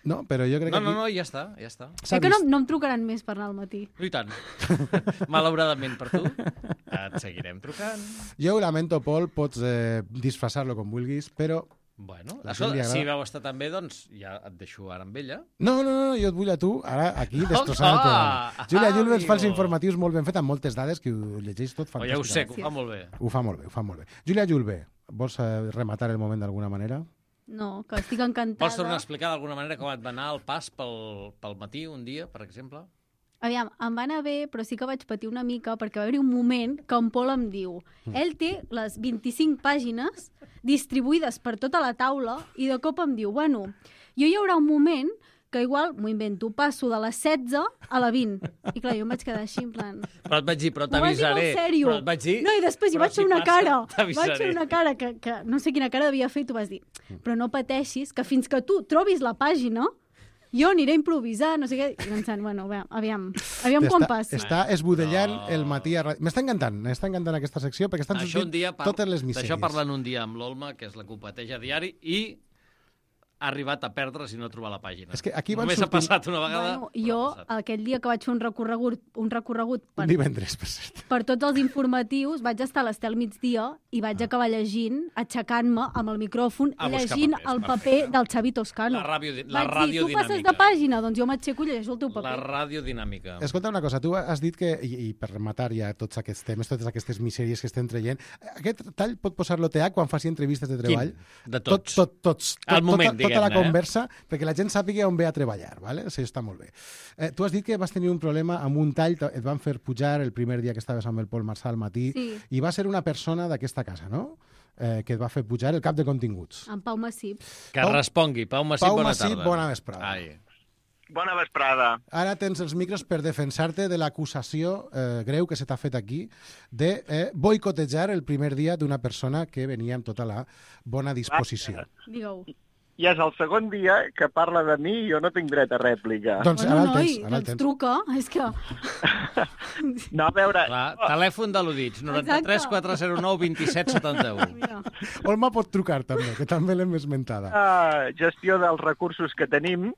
No, però jo crec
No,
que
no,
aquí
no, ja està, ja està.
s'ha
Sé que no,
vist.
no em trucaran més per anar al matí.
I tant. Malauradament per tu, et seguirem trucant.
Jo ho lamento, Pol, pots eh, disfressar-lo com vulguis, però...
Bueno,
La
això,
gent li agrada.
si vau estar tan bé, doncs ja et deixo ara amb ella.
No, no, no, jo et vull a tu, ara aquí, destrossant el programa.
Ah,
Júlia Julve ens fa els
amigo.
informatius molt ben fet, amb moltes dades, que ho llegeix tot
Oh, ja ho sé,
fantàsticament.
que ho fa molt bé.
Ho fa molt bé, ho fa molt bé. Júlia Julve, vols eh, rematar el moment d'alguna manera?
No, que estic encantada.
Vols tornar a explicar d'alguna manera com et va anar el pas pel, pel matí un dia, per exemple?
Aviam, em va anar bé, però sí que vaig patir una mica perquè va haver-hi un moment que en Pol em diu ell té les vint-i-cinc pàgines distribuïdes per tota la taula i de cop em diu, bueno, jo hi haurà un moment que igual, m'ho invento, passo de les setze a la vint. I clar, jo em vaig quedar així, en plan...
Però et vaig dir, però
M'ho vas dir
t'avisaré.
molt sèrio.
Però et vaig dir...
No, i després hi
però
vaig
si
fer una
passa,
cara.
t'avisaré.
Vaig fer una cara que, que no sé quina cara devia fer i tu vas dir, però no pateixis, que fins que tu trobis la pàgina, jo aniré a improvisar, no sé què. I pensant, bueno, aviam, aviam, aviam quan passi.
Està esbudellant
No.
el matí a ràdio. M'està encantant, m'està encantant aquesta secció, perquè estan
Això un
sortint
dia par...
totes les misèries.
D'això parlant un dia amb l'Olma, que és la que ho pateix a diari, i ha arribat a perdre si no trobar la pàgina.
És que aquí van
Només
sortint-
ha passat una vegada.
Bueno, jo,
però ha passat.
aquell dia que vaig fer un recorregut, un recorregut per,
Un divendres, per cert.
per tots els informatius, vaig estar a l'Estel migdia i vaig acabar llegint, aixecant-me amb el micròfon,
A buscar
llegint
papers,
el paper
perfecte.
del Xavi Toscano.
La ràdio- la
vaig dir,
ràdio
tu passes de
dinàmica.
pàgina, doncs jo m'aixeco i llegeixo el teu paper.
La ràdio dinàmica.
Escolta una cosa, tu has dit que, i, i per rematar ja tots aquests temes, totes aquestes misèries que estem traient, aquest tall pot posar-lo T H quan faci entrevistes de treball?
Quin? De tots?
Tot, tot, tots.
Al
tot,
moment,
tota, tota la
diguem-ne, eh?
conversa, perquè la gent sàpiga on ve a treballar, ¿vale? Això està molt bé. Eh, tu has dit que vas tenir un problema amb un tall, et van fer pujar el primer dia que estaves amb el Pol Marsal al matí,
Sí.
i va ser una persona d'aquesta casa, no?, eh, que et va fer pujar el cap de continguts.
En Pau Massip.
Que
Pau-
respongui. Pau Massip,
Pau
bona
Massip,
tarda.
bona vesprada.
Ai.
Bona vesprada.
Ara tens els micros per defensar-te de l'acusació eh, greu que se t'ha fet aquí de eh, boicotejar el primer dia d'una persona que venia amb tota la bona disposició.
Digueu.
Ja és el segon dia que parla de mi i jo no tinc dret a rèplica.
Doncs
Bueno,
ara el
noi,
tens, ara el
doncs
tens.
truca, és que...
No, a veure...
Clar, telèfon de l'Udits, noranta-tres quatre zero nou vint set setanta u.
Mira.
Olma pot trucar també, que també l'hem esmentada.
Uh, gestió dels recursos que tenim,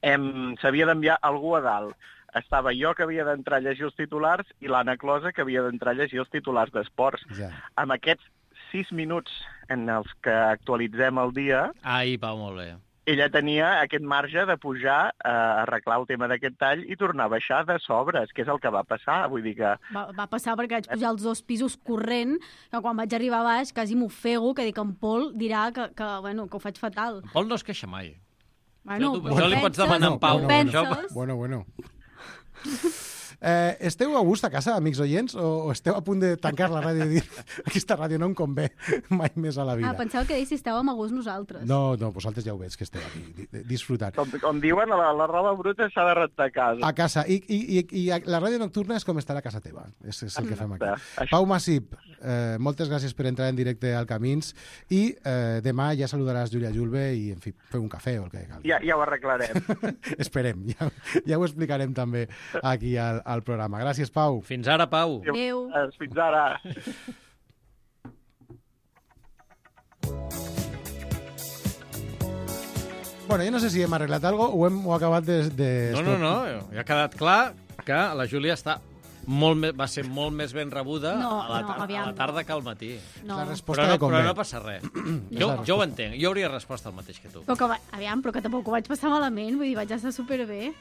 hem, s'havia d'enviar algú a dalt. Estava jo que havia d'entrar a llegir els titulars i l'Anna Closa que havia d'entrar a llegir els titulars d'esports.
Ja.
Amb aquests sis minuts en els que actualitzem el dia,
Ai, Pau, molt bé.
ella tenia aquest marge de pujar a arreglar el tema d'aquest tall i tornar a baixar de sobres, que és el que va passar. Vull dir que...
Va, va passar perquè vaig pujar els dos pisos corrent, que quan vaig arribar a baix quasi m'ofego, que dic, en Pol dirà que, que, bueno, que ho faig fatal.
Pol no es queixa mai.
Bueno,
Això tu-
ho
això li pots demanar a en Pau.
ho
bueno,
penses?
Bueno, bueno. Eh, esteu a gust a casa, amics oients, o, o esteu a punt de tancar la ràdio i dir aquesta ràdio no em convé mai més a la vida?
Ah, pensava que deies si estàvem a gust nosaltres.
No, no, vosaltres ja ho veig que esteu aquí di- di- disfrutant.
Com, com diuen, la, la roba bruta s'ha de rentar a casa.
A casa. I, i, i, i la ràdio nocturna és com estar a casa teva. És, és el que fem aquí.
Això-
Pau Massip, eh, moltes gràcies per entrar en directe al Camins i eh, demà ja saludaràs Júlia Julve i, en fi, feu un cafè o el que calgui.
Ja, ja ho arreglarem.
Esperem, ja, ja ho explicarem també aquí al, al programa. Gràcies, Pau.
Fins ara, Pau.
Adéu.
Fins ara.
Bueno, jo no sé si hem arreglat alguna cosa o hem ho acabat de... de
No, no, no, ja ha quedat clar que la Júlia està molt me... va ser molt més ben rebuda
No,
a, la
no,
tar... a
aviam.
la tarda que al matí.
No.
La resposta
Però
de
no, però
convé.
no passa res. jo, jo ho entenc. Jo hauria respost el mateix que tu.
Però que, va- aviam, però que tampoc ho vaig passar malament, vull dir, vaig estar superbé.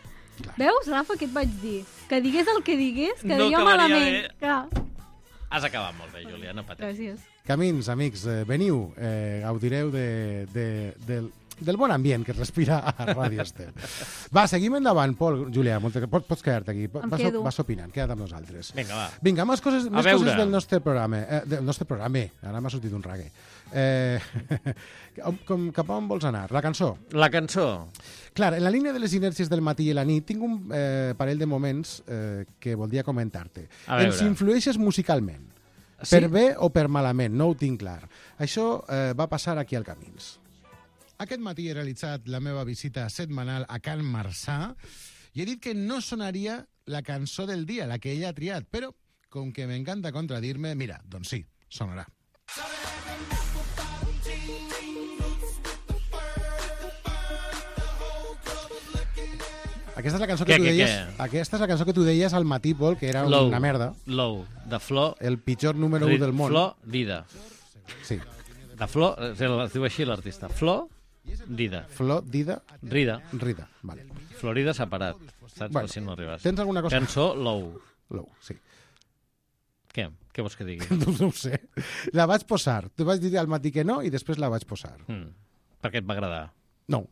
Veus, Rafa, què et vaig dir? Que digués el que digués, que
No
diria
acabaria
malament.
bé.
Clar.
Has acabat molt bé, Júlia, no pateixis.
Gràcies.
Camins, amics, eh, veniu, eh, gaudireu de, de, del, del bon ambient que es respira a Ràdio Estel. Va, seguim endavant, Pol, Júlia, moltes, pots, pots quedar-te aquí.
Em
Vas,
quedo.
vas opinant, queda't amb nosaltres.
Vinga, va.
Vinga, més coses,
A
més
veure.
coses del nostre programa. Eh, del nostre programa, ara m'ha sortit un rague. Eh, com, cap a on vols anar? La cançó?
La cançó.
Clar, en la línia de les inèrcies del matí i la nit, tinc un eh, parell de moments eh, que voldria comentar-te.
A veure.
Ens influeixes musicalment.
Sí?
Per bé o per malament, no ho tinc clar. Això eh, va passar aquí al Camins. Aquest matí he realitzat la meva visita setmanal a Can Marçà i he dit que no sonaria la cançó del dia, la que ella ha triat, però com que m'encanta contradir-me, mira, doncs sí, sonarà. Aquesta és la cançó que
Què,
tu
què,
deies,
què?
aquesta és la cançó que tu deies al matí, Pol, que era
Low.
una merda.
Low, de Flor...
El pitjor número u del món.
Flor Dida.
Sí.
De Flor, es diu així l'artista. Flor Dida.
Flor Dida.
Rida.
Rida, vale.
Florida separat. Saps?
Bueno,
Per si no arribes.
tens alguna cosa?
Cançó Low.
Low, sí.
Què? Què vols que digui?
No, no ho sé. La vaig posar. Tu vas dir al matí que no i després la vaig posar.
Mm. Per què et va agradar?
No.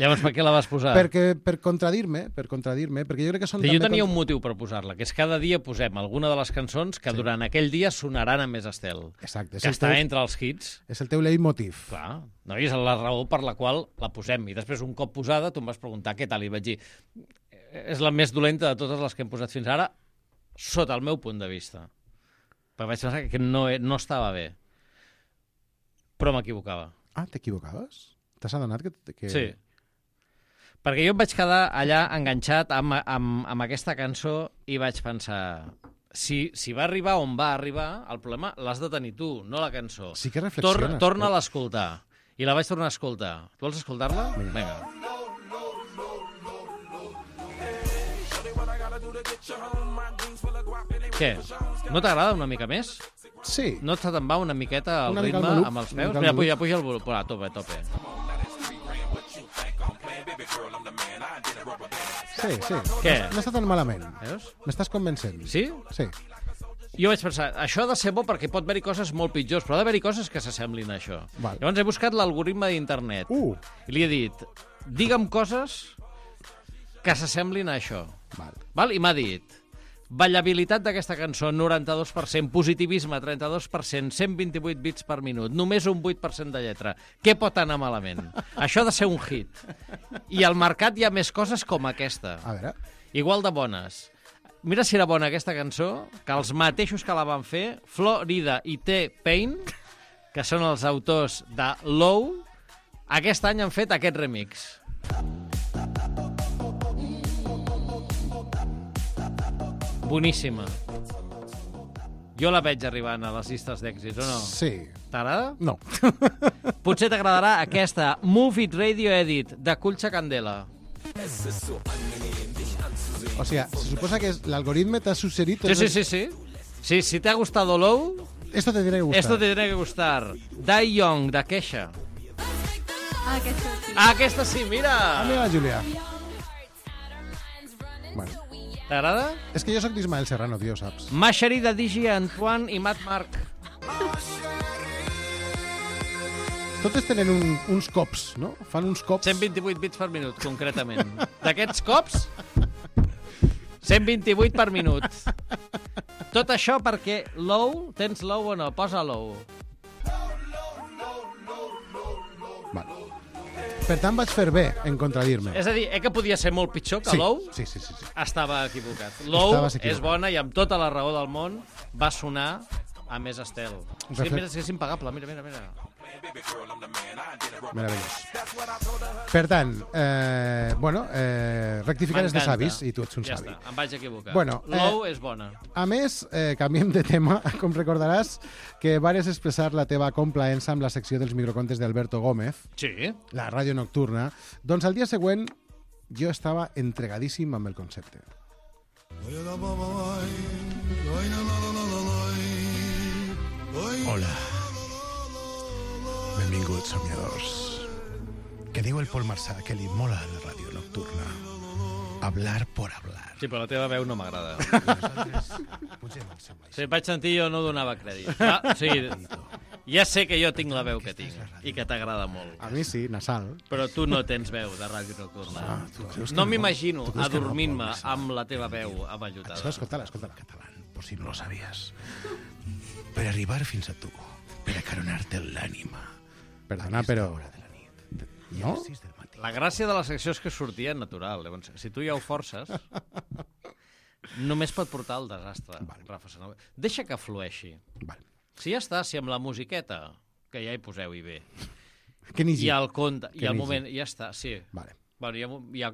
Llavors per què la vas posar?
Perquè, per contradir-me, per contradir-me, perquè jo crec que són...
Sí, jo
també
tenia
con-
un motiu per posar-la, que és cada dia posem alguna de les cançons que durant aquell dia sonaran a Més Estel.
Exacte. és
Que
el
està
teu-
entre els hits.
És el teu leitmotiv.
Clar, no? I és la raó per la qual la posem. I després, un cop posada, tu em vas preguntar què tal, i vaig dir, és la més dolenta de totes les que hem posat fins ara, sota el meu punt de vista. Perquè vaig pensar que no, no estava bé. Però m'equivocava.
Ah, t'equivocaves? T'has adonat que... que...
Sí. Perquè jo em vaig quedar allà enganxat amb, amb, amb aquesta cançó i vaig pensar... Si, si va arribar on va arribar, el problema l'has de tenir tu, no la cançó.
Sí que reflexiones.
Tor Torna a l'escoltar. I la vaig tornar a escoltar. Tu vols escoltar-la? Vinga. Què? No t'agrada una mica més?
Sí.
No te'n va una miqueta el
Una mica
ritme
al maluc,
amb els
una
peus?
mica al
Mira,
maluc.
puja, puja el volum. A tope, a tope.
Sí, sí.
Què?
No està tan malament.
Veus?
M'estàs convencent.
Sí?
Sí.
Jo vaig pensar, això ha de ser bo perquè pot haver-hi coses molt pitjors, però ha d'haver-hi coses que s'assemblin a això.
Val.
Llavors he buscat l'algoritme d'internet
Uh.
i li he dit, digue'm coses que s'assemblin a això.
Val.
Val? I m'ha dit, ballabilitat d'aquesta cançó, noranta-dos per cent, positivisme, trenta-dos per cent, cent vint-i-vuit bits per minut, només un vuit per cent de lletra. Què pot anar malament? Això ha de ser un hit. I al mercat hi ha més coses com aquesta.
A veure.
Igual de bones. Mira si era bona aquesta cançó, que els mateixos que la van fer, Florida i T-Pain, que són els autors de Low, aquest any han fet aquest remix. Boníssima. Jo la veig arribant a les llistes d'èxits, o no?
Sí.
T'agrada?
No.
Potser t'agradarà aquesta Move It Radio Edit de Culcha Candela.
O sea, se suposa que es- l'algoritme t'ha suggerit...
Sí, sí, sí, sí. Sí, si te ha gustado Low,
Esto te tiene que gustar.
esto te tiene que gustar. Die Young, de Kesha.
Ah, aquesta sí.
Ah, aquesta sí, mira!
Ah, mira, Julià. Bueno,
T'agrada?
és que jo sóc d'Ismael Serrano, tio, saps?
Masheri de Digi, Antoine i Matt Marc.
Totes tenen un, uns cops, no? Fan uns cops...
cent vint-i-vuit bits per minut, concretament. D'aquests cops, cent vint-i-vuit per minut. Tot això perquè Low, tens Low o no? Posa Low.
Vale. Per tant, vaig fer bé en contradir-me.
És a dir, eh que podia ser molt pitjor que
Sí,
Low?
sí, sí, sí, sí.
Estava equivocat. Low
Estaves equivocat.
és bona i amb tota la raó del món va sonar a Més Estel. És que,
fet-
mira, és impagable, mira, mira, mira.
Meravellós. Per tant, eh, bueno, eh, rectificar és de
M'encanta.
savis i tu ets un
ja
savi.
està, em vaig equivocar.
Bueno,
Low
eh,
és bona.
A més, eh, canviem de tema, com recordaràs que vares expressar la teva complaença amb la secció dels microcontes d'Alberto Gómez,
Sí.
la ràdio nocturna, doncs al dia següent jo estava entregadíssim amb el concepte. Hola. Benvinguts, somiadors. Que diu el Pol Marçà que li mola la ràdio nocturna. Hablar por hablar.
Sí, però la teva veu no m'agrada.
Potser no em sembla.
Si vaig sentir jo no donava crèdit. Ah, o sigui, ja sé que jo tinc la veu que tinc i que t'agrada molt.
A mi sí, nasal.
Però tu no tens veu de ràdio nocturna.
Ah, tu creus que
no
no?
m'imagino
Tu creus que no,
adormint-me
Pol, sí.
amb la teva veu avallotada.
Això, escolta-la, escolta-la. Català, por si no lo sabías. Per arribar fins a tu, per acaronar-te l'ànima. Perdona, però... No?
La gràcia de la secció és que sortia natural. Llavors, si tu ja ho forces, només pot portar al desastre. Vale. Rafa Sanau. Deixa que flueixi.
Vale.
Si ja està, si amb la musiqueta, que ja hi poseu-hi bé,
que
i el conte, i
el
el moment, ja està, sí.
Vale.
Bueno, ja, ja...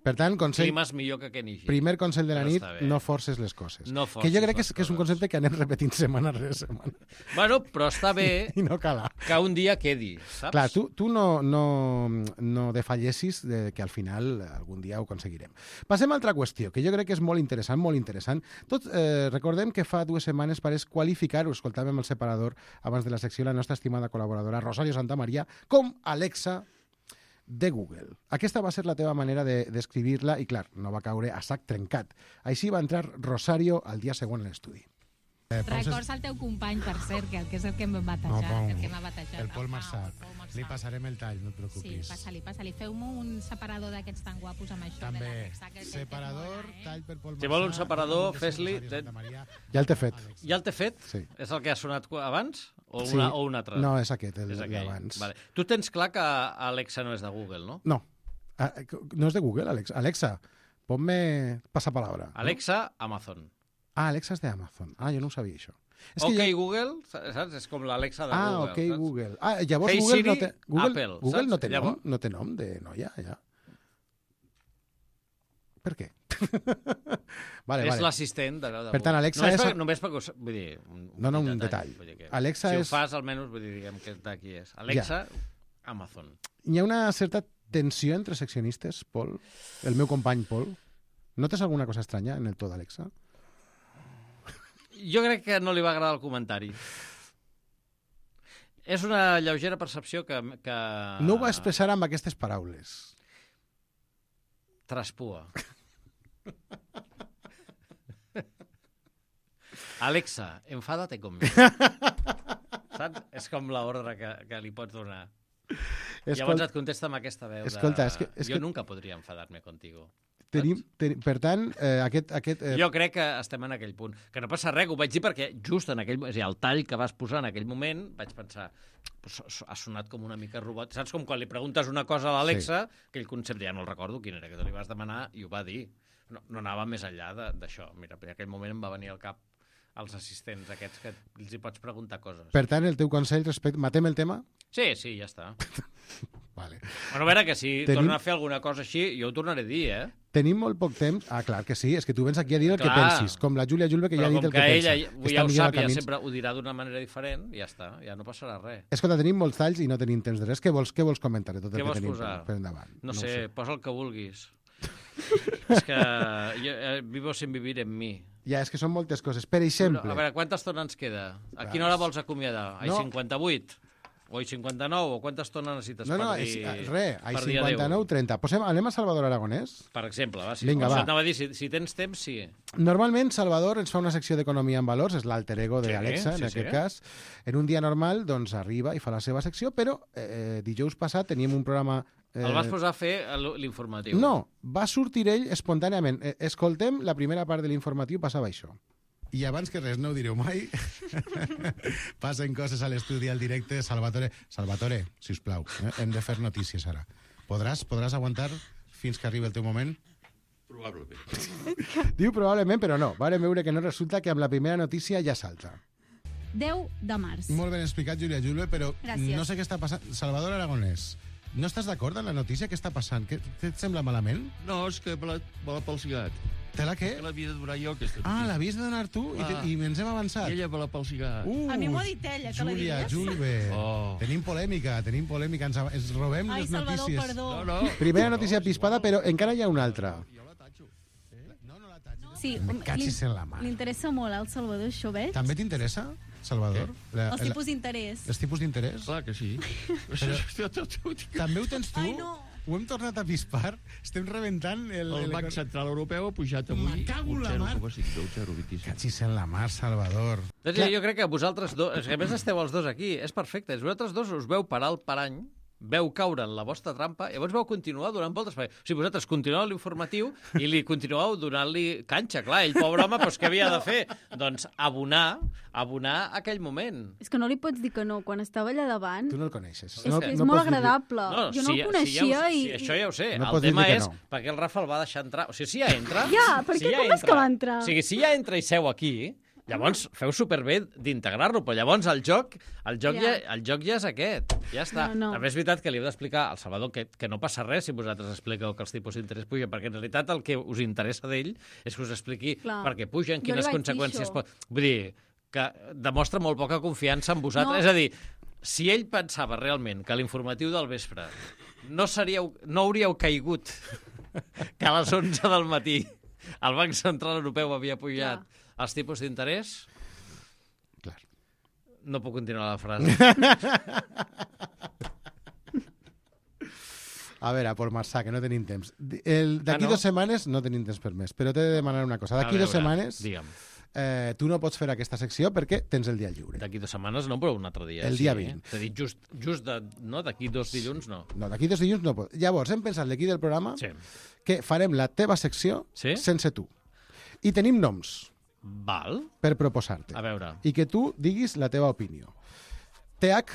Per tant, consell...
Climes millor que Kenigi.
Primer consell de la
Però
nit,
està bé.
no forces les coses.
No forces
que jo crec que és,
les
que és un concepte que anem repetint setmana rere setmana.
Bueno, però està bé
I no cala.
que un dia quedi, saps?
Clar, tu, tu no, no, no defallessis de que al final algun dia ho aconseguirem. Passem a altra qüestió, que jo crec que és molt interessant, molt interessant. Tot, eh, recordem que fa dues setmanes pareix qualificar, ho escoltàvem el separador abans de la secció, la nostra estimada col·laboradora Rosario Santamaría, com Alexa de Google. Aquesta va ser la teva manera de d'escribir-la i, clar, no va caure a sac trencat. Així va entrar Rosario al dia següent a l'estudi.
Eh, Records al teu company, per cert, que, que és el que m'ha batejat.
No, Pau,
el que m'ha batejat.
el Pol
Pau,
Marçà.
el Pol Marçà.
Li passarem el tall, no et
Sí,
preocupis.
passa-li, passa-li. Feu-me un separador d'aquests tan guapos amb això.
També,
de l'Alexa, que- que- que
separador,
mola, eh?
tall per Pol Marçà.
Si vol un separador,
Rosario
fes-li...
Santamaría. Ja el té fet.
Ja el té fet?
Sí.
És el que ha sonat abans? O,
Sí.
una, o un altre?
No, és aquest, el
És aquell.
d'abans.
Vale. Tu tens clar que Alexa no és de Google, no?
No. Ah, no és de Google, Alexa. Alexa, ponme pasapalabra.
Alexa, Amazon.
Ah, Alexa és d'Amazon. Ah, jo no ho sabia, això. És
Ok,
que jo...
Google, saps? És com l'Alexa de
Ah,
Google.
ok,
saps?
Google. Ah, llavors
Hey
Google
Siri,
no té... Google,
Apple,
Google
saps?
no té nom,
Llavors-
no té nom de noia, ja. Per què? vale,
és
vale.
l'assistent de, de
Per tant, Alexa
només
és...
Per, només perquè... us- Vull dir, un,
No, no, un detall.
Vull dir que,
Alexa
si
és-
ho fas, almenys, vull dir, diguem que d'aquí és. Alexa, Amazon.
Hi ha una certa tensió entre seccionistes, Pol? El meu company, Pol? Notes alguna cosa estranya en el to d'Alexa?
Jo crec que no li va agradar el comentari. És una lleugera percepció que... que...
No ho va expressar amb aquestes paraules.
Traspua. Alexa, enfádate conmigo. Saps? És com l'ordre que, que li pots donar.
Escolta,
Llavors et contesta amb aquesta veu
escolta,
de...
és que- és
jo
que-
nunca podria enfadar-me contigo.
Tenim, ten, per tant, eh, aquest... aquest eh,
Jo crec que estem en aquell punt. Que no passa res, ho vaig dir perquè just en aquell... És a dir, el tall que vas posar en aquell moment, vaig pensar, pues, ha sonat com una mica robot. Saps com quan li preguntes una cosa a l'Alexa, sí. aquell concepte, ja no el recordo quin era, que te li vas demanar i ho va dir. No, no anava més enllà de- d'això. Mira, en aquell moment em va venir al cap els assistents aquests que els hi pots preguntar coses.
Per tant, el teu consell respecte... Matem el tema?
Sí, sí, ja està.
Vale.
Bueno, a veure, que si
Tenim-
torna a fer alguna cosa així, jo ho tornaré a dir, eh?
Tenim molt poc temps. Ah, clar que sí, és que tu vens aquí a dir el
Clar.
que pensis, com la Júlia Julve, que
Però
ja ha dit
com
el que,
que
pensa.
ella
Està
ja ho
millor
sap,
a
ja
camins.
sempre ho dirà d'una manera diferent, ja està, ja no passarà res.
Escolta, tenim molts talls i no tenim temps de res. Què vols, què vols comentar de tot el
Què
que
vols
tenim
posar?
per, per endavant?
No,
ho
sé, posa el que vulguis. És que jo, eh, vivo sin vivir en mi.
Ja, és que són moltes coses. Per exemple...
A veure, quanta estona ens queda? A quina hora vols acomiadar? A
No.
cinquanta-vuit? O a cinquanta-nou? O quanta estona necessites
No, no,
per
és,
dir...
res, ai,
per dir
cinquanta-nou trenta. Posem, anem a Salvador Aragonès?
Per exemple, va. Si,
Vinga,
o sigui,
va.
anava a dir, si, si tens temps, sí.
Normalment, Salvador ens fa una secció d'economia en valors, és l'alter ego
Sí,
d'Alexa,
sí,
en aquest
sí.
cas. En un dia normal, doncs, arriba i fa la seva secció, però eh, dijous passat teníem un programa... Eh,
El vas posar a fer l- l'informatiu.
No, va sortir ell espontàniament. Eh, escoltem, la primera part de l'informatiu passava això. I abans que res, no ho direu mai, passen coses a l'estudi al directe. Salvatore, Salvatore, sisplau, eh? hem de fer notícies ara. Podràs, podràs aguantar fins que arribi el teu moment?
Probablement.
Diu probablement, però no. Vàrem veure que no resulta que amb la primera notícia ja salta.
deu de març.
Molt ben explicat, Júlia Julve, però
Gràcies.
no sé què està passant. Salvador Aragonès, no estàs d'acord amb la notícia? Què està passant? Què, què et sembla malament?
No, és que me l'ha me l'ha palsigat.
Te la què?
Que l'havia de donar jo, aquesta
Ah,
notícia.
l'havies de donar tu i, te,
Ah.
i ens hem avançat.
I ella me l'ha palsigat.
Uh,
A mi m'ho ha dit ella, que la
Júlia,
diries.
Julve,
Oh.
tenim polèmica, tenim polèmica, ens, ens robem
Ai,
les
Salvador,
notícies.
perdó.
No, no.
Primera notícia pispada, però encara hi ha una altra.
Jo la tatxo.
No,
Sí,
Me cachis en la mar.
Li interessa molt al Salvador, això, veig?
També t'interessa, Salvador? La,
Els tipus d'interès.
Els tipus d'interès?
Clar que sí.
Però, també ho tens tu?
Ai, no.
Ho hem tornat a pispar? Estem rebentant el...
El Banc Central Europeu ha pujat avui
Me cago en la mar.
zero coma cinc, zero coma vint i cinc.
Cachis en la mar, Salvador.
Doncs jo, jo crec que vosaltres dos, és que a més esteu els dos aquí, és perfecte. Vosaltres dos us veu parar el parany, veu caure en la vostra trampa, i llavors veu continuar donant voltes. O sigui, vosaltres continueu l'informatiu i li continueu donant-li canxa. Clar, ell, pobre home, doncs què havia de fer? Doncs abonar, abonar aquell moment.
És que no li pots dir que no, quan estava allà davant...
Tu no el coneixes.
És, no, que és no molt agradable.
No,
jo no
si,
el coneixia
si ja ho,
i...
Si això ja ho sé.
No
el tema és
no.
perquè el Rafa el va deixar entrar. O sigui, si ja entra...
Ja, perquè
si ja
com
entra,
és que va entrar?
O sigui, si ja entra i seu aquí, llavors feu superbé d'integrar-lo, però llavors el joc, el joc, ja. Ja, el joc ja és aquest. Ja està.
No, no.
També és veritat que li heu d'explicar al Salvador que, que no passa res si vosaltres expliqueu que els tipus d'interès pugen, perquè en realitat el que us interessa d'ell és que us expliqui
Clar.
per què pugen,
Jo
quines
li vaig dir
conseqüències
això.
pot... Vull dir, que demostra molt poca confiança en vosaltres.
No.
És a dir, si ell pensava realment que l'informatiu del vespre no, seríeu, no hauríeu caigut que a les onze del matí el Banc Central Europeu havia pujat Clar. els tipus d'interès,
Clar.
no puc continuar la frase.
A veure, Pol Marçà, que no tenim temps. D'aquí
Ah, no?
dues setmanes no tenim temps per més, però t'he de demanar una cosa. D'aquí
A
dues
veure,
setmanes
digue'm.
eh, tu no pots fer aquesta secció perquè tens el dia lliure.
D'aquí dues setmanes no, però un altre dia.
El
sí.
dia vint.
T'he dit just, just de, no, d'aquí dos dilluns, no.
No, d'aquí dos dilluns no pot. Llavors, hem pensat d'aquí del programa
Sí.
que farem la teva secció
Sí?
sense tu. I tenim noms
Val.
per proposar-te.
A veure.
I que tu diguis la teva opinió. T H,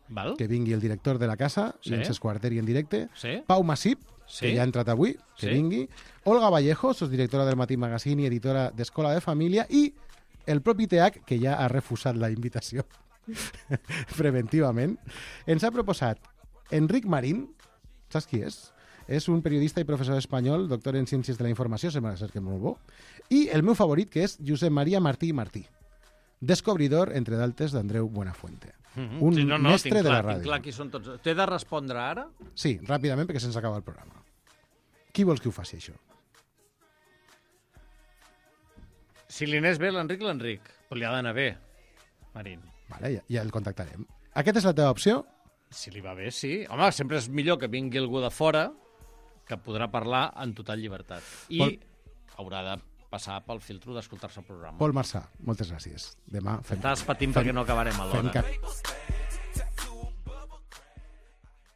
Val.
que vingui el director de la casa,
Sí.
i ens esquarteri en directe.
Sí.
Pau Massip,
Sí.
que ja ha entrat avui, que
Sí.
vingui. Olga Vallejo, directora del Matí Magazine i editora d'Escola de Família. I el propi T H, que ja ha refusat la invitació preventivament, ens ha proposat Enric Marín. Saps qui és? És un periodista i professor espanyol, doctor en Ciències de la Informació, sembla ser que és molt bo. I el meu favorit, que és Josep Maria Martí i Martí, descobridor, entre d'altres, d'Andreu Buenafuente.
Mm-hmm.
Un
sí, no, no,
mestre
tinc
de la
clar,
ràdio.
Tinc clar qui són tots. T'he de respondre ara?
Sí, ràpidament, perquè se'ns acaba el programa. Qui vols que ho faci, això?
Si li anés bé l'Enric, l'Enric. Però li ha d'anar bé, Marín.
Vale, ja, ja el contactarem. Aquesta és la teva opció?
Si li va bé, sí. Home, sempre és millor que vingui algú de fora que podrà parlar en total llibertat. I
Pol...
haurà de passar pel filtro d'escoltar-se el programa.
Pol Marçà, moltes gràcies. Demà fem...
Estàs patint
fem...
perquè no acabarem a l'hora.
Fem cap...